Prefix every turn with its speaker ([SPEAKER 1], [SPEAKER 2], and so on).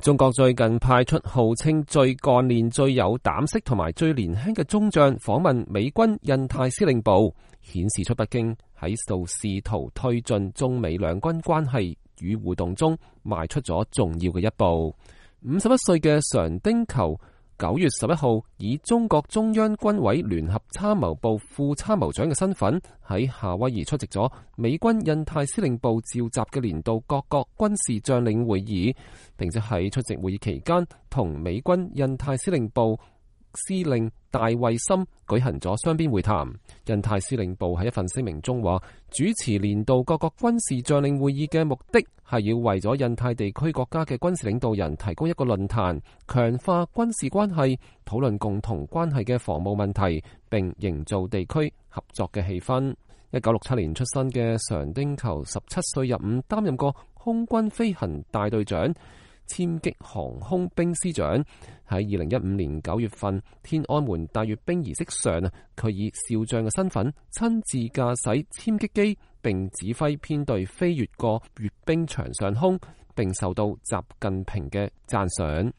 [SPEAKER 1] 中國最近派出號稱最幹練、最有膽識同埋最年輕嘅中將訪問美軍印太司令部，顯示出北京喺度試圖推進中美兩軍關係與互動中邁出咗重要嘅一步。51歲嘅常丁球9月11號以中國中央軍委聯合參謀部副參謀長嘅身份喺夏威夷出席咗美軍印太司令部召集嘅年度各國軍事將領會議，並且喺出席會議期間同美軍印太司令部司令戴衛森舉行咗雙邊會談。印太司令部喺一份聲明中話，主持年度各國軍事將領會議嘅目的係要為咗印太地區國家嘅軍事領導人提供一個論壇，強化軍事關係，討論共同關係嘅防務問題，並營造地區合作嘅氣氛。1967年出生嘅常丁球17歲入伍，擔任過空軍飛行大隊長、殲擊航空兵師長。喺2015年9月份天安門大閱兵儀式上，佢以少將嘅身份親自駕駛殲擊機，並指揮編隊飛越過閱兵場上空，並受到習近平嘅讚賞。